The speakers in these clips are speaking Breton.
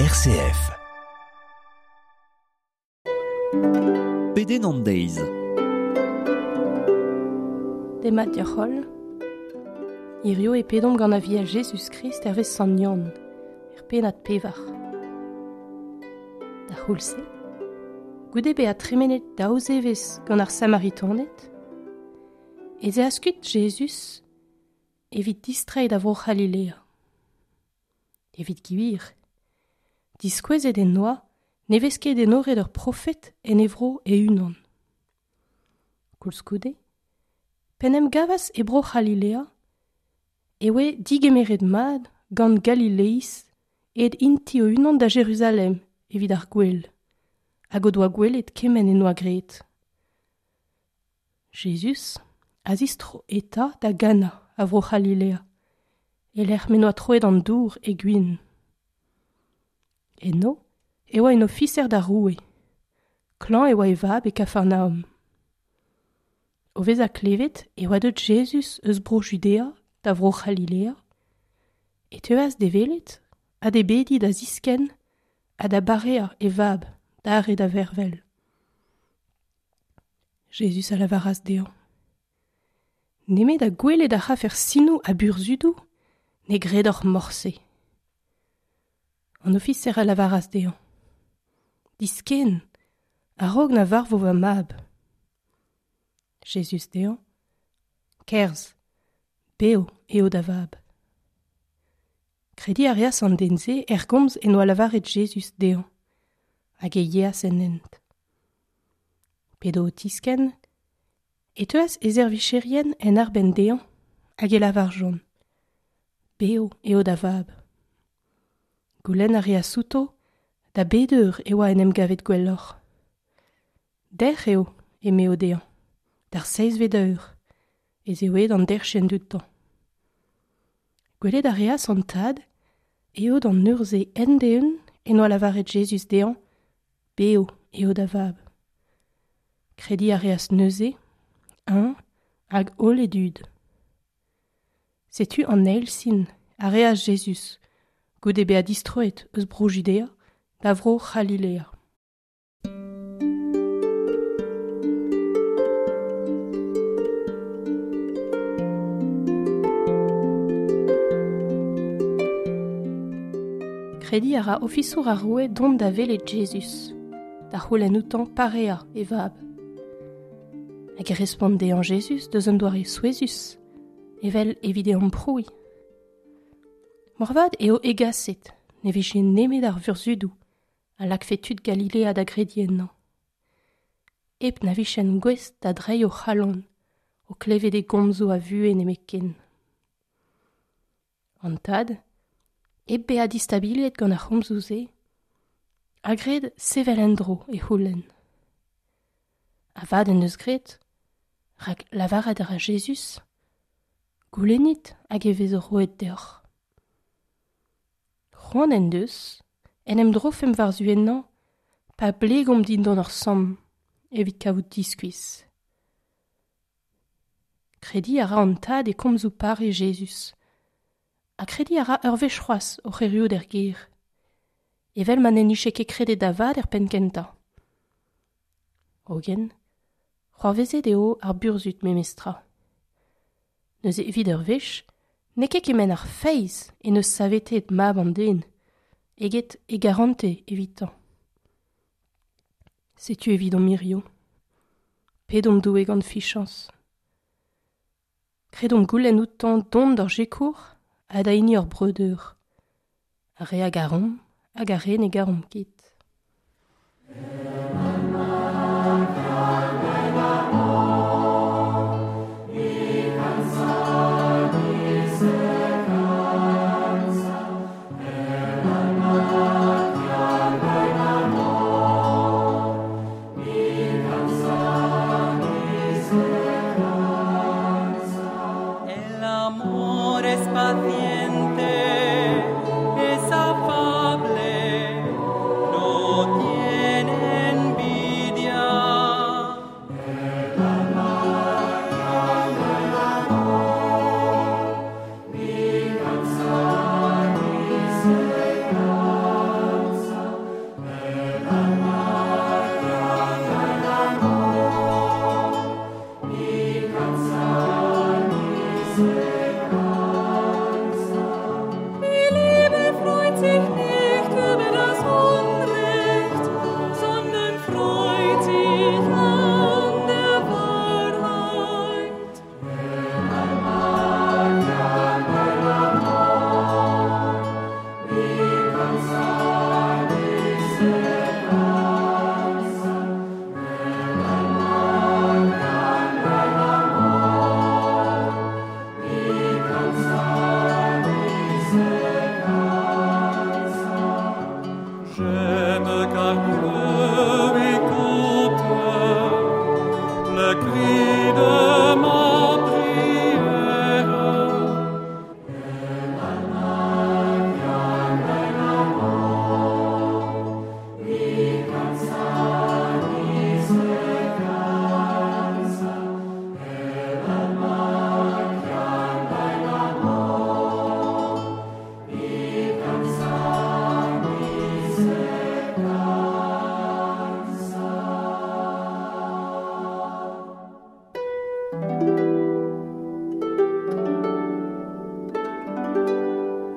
RCF. Pedenn an deiz. Demat deoc'h holl. Hirio e pedomp gant Aviel Jezuz-Krist hervez Sant Yann, er pennad pevar. Da c'houlz-se, goude bezañ tremenet daou zevezh gant ar Samaritaned, ez eas kuit Jezuz evit distreiñ da Vro-C'halilea. Evit gwir, diskouezet en doa ne vez ket enoret ur profed en e vro e-unan. Koulskoude, p'en em gavas e Bro-C'halilea, e oe digemeret mat gant Galileiz aet int-i o-unan da Jeruzalem evit ar gwel, hag o doa gwelet kement en doa graet. Jezuz a zistro eta da Gana a Vro-C'halilea, e-lec'h m'en doa troet an dour e gwin. Eno e oa un ofiser d'ar roue. Klañv e oa e vab e Kafarnaom. O vezañ klevet e oa deuet Jezuz eus Bro-Judea da Vro-C'halilea, e teuas d'e welet ha d'e bediñ da ziskenn ha da bareañ e vab dare da vervel. Jezuz a lavaras dezhañ: Nemet ha gwelet a rafec'h sinoù ha burzhudoù, ne gredoc'h morse. An ofiser a lavaras dezhañ: Diskenn, a-raok na varvo va mab. Jezuz dezhañ: Kerzh, bev eo da vab. Krediñ a reas an den-se er gomz en doa lavaret Jezuz dezhañ, hag e yeas en hent. P'edo o tiskenn, e teuas e servijerien en arbenn dezhañ hag e lavarjont: Bev eo da vab. Goulenn a reas outo da bet eur e oa en em gavet gwelloc'h. Dec'h eo, emeo dezhañ, d'ar seizhvet eur ez eo aet an derc'henn dioutañ. Gwelet a reas an tad eo d'an eur-se end-eeun en doa lavaret Jezuz dezhañ: Bev eo da vab. Krediñ a reas neuze, eñ hag holl e dud. Setu an eil sin a reas Jezuz goude bezañ distroet eus Bro-Judea da Vro-C'halilea. Krediñ a ra ofisour ar roue dont da welet Jezuz, da c'houlenn outañ pareañ e vab. Hag e respont dezhañ Jezuz deus un doare souezhus, evel evit e amprouiñ. Moarvat eo hegaset ne vije nemet ar vurzhudoù a lakfe tud Galilea da grediñ ennañ. Hep na vijent gouest da dreiñ o c'halon o klevet e gomzoù a vuhez nemetken. An tad, hep bezañ distabiliet gant ar c'homzoù-se, a gred sevel en-dro e c'houlenn. Avat en deus graet, rak lavaret a ra Jezuz: Goulennit hag e vezo roet deoc'h. C'hoant en deus en em drofemp war-zu ennañ pa blegomp dindan ur samm evit kavout diskuizh. Krediñ a ra an tad e komzoù pare Jezuz, ha krediñ a ra ur wech c'hoazh oc'h erruout er gêr, evel ma n'en dije ket kredet da vat er penn-kentañ. Hogen, c'hoarvezet eo ar burzhud memestra. Neuze evit ur wech, n'eo ket kement ar feiz en deus saveteet mab an den eget e garantez evitañ. Setu evidomp hirio. Pedomp Doue gant fichañs. Kredomp goulenn outañ dont d'hor sikour ha da hini hor breudeur, ar re a garomp hag ar re ne garomp ket. El amor es paciente, es afable, no tiene envidia.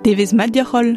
Devezh mat deoc'h holl!